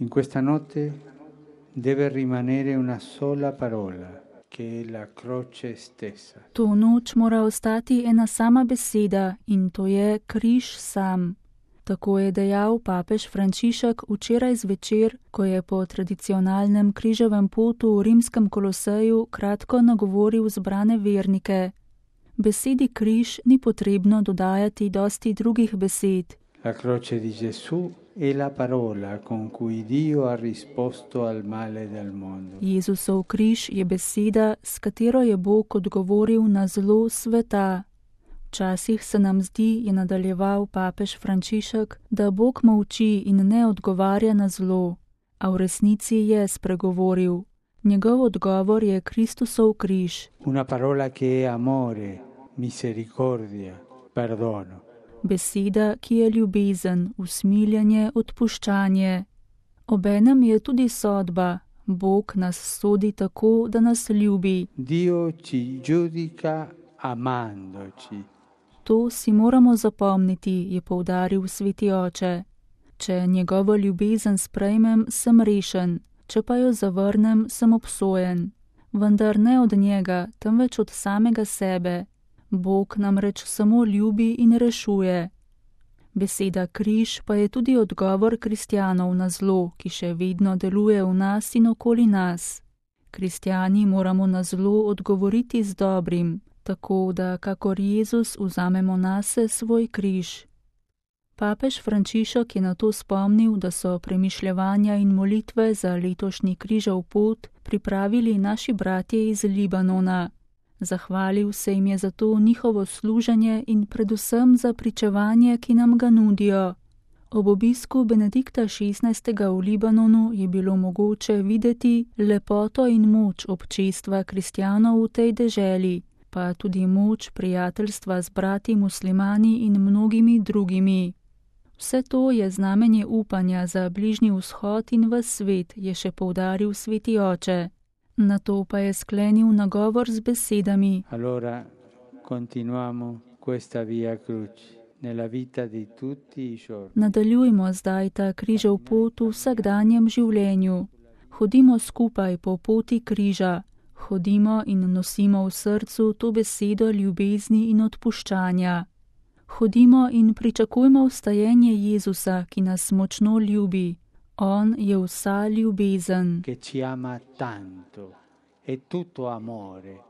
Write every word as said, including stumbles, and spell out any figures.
In questa notte deve rimanere una sola parola, che è la croce stessa. To noč mora ostati ena sama beseda in to je križ sam. Tako je dejal papež Frančišek včeraj zvečer, ko je po tradicionalnem križevem potu v rimskem Koloseju kratko nagovoril zbrane vernike. Besedi križ ni potrebno dodajati dosti drugih besed. La croce di Gesù è la parola con cui Dio ha risposto al male del mondo. Jezusov križ je beseda, s katero je Bog odgovoril na zlo sveta. Včasih se nam zdi, je nadaljeval papež Frančišek, da Bog molči in ne odgovarja na zlo, a v resnici je spregovoril. Njegov odgovor je Kristusov križ. Una parola che è amore, misericordia, perdono. Beseda, ki je ljubezen, usmiljanje, odpuščanje. Obenem je tudi sodba. Bog nas sodi tako, da nas ljubi. Dio ci giudica amandoci. To si moramo zapomniti, je poudaril sveti oče. Če njegovo ljubezen sprejmem, sem rešen, če pa jo zavrnem, sem obsojen. Vendar ne od njega, temveč od samega sebe. Bog namreč samo ljubi in rešuje. Beseda križ pa je tudi odgovor kristjanov na zlo, ki še vedno deluje v nas in okoli nas. Kristjani moramo na zlo odgovoriti z dobrim, tako da kakor Jezus vzamemo nase svoj križ. Papež Frančišek je na to spomnil, da so premišljevanja in molitve za letošnji križev pot pripravili naši bratje iz Libanona. Zahvalil se jim je za to njihovo služenje in predvsem za pričevanje, ki nam ga nudijo. Ob obisku Benedikta šestnajstega v Libanonu je bilo mogoče videti lepoto in moč občestva kristjanov v tej deželi, pa tudi moč prijateljstva z brati muslimani in mnogimi drugimi. Vse to je znamenje upanja za bližnji vzhod in ves svet, je še poudaril sveti oče. Nato pa je sklenil nagovor z besedami. Allora continuamo questa via crucis nella vita di tutti i giorni. Nadaljujmo zdaj ta križev pot v vsakdanjem življenju. Hodimo skupaj po poti križa. Hodimo in nosimo v srcu to besedo ljubezni in odpuščanja. Hodimo in pričakujmo vstajenje Jezusa, ki nas močno ljubi. On je vsa ljubezen. Che ci ama tanto, è tutto amore.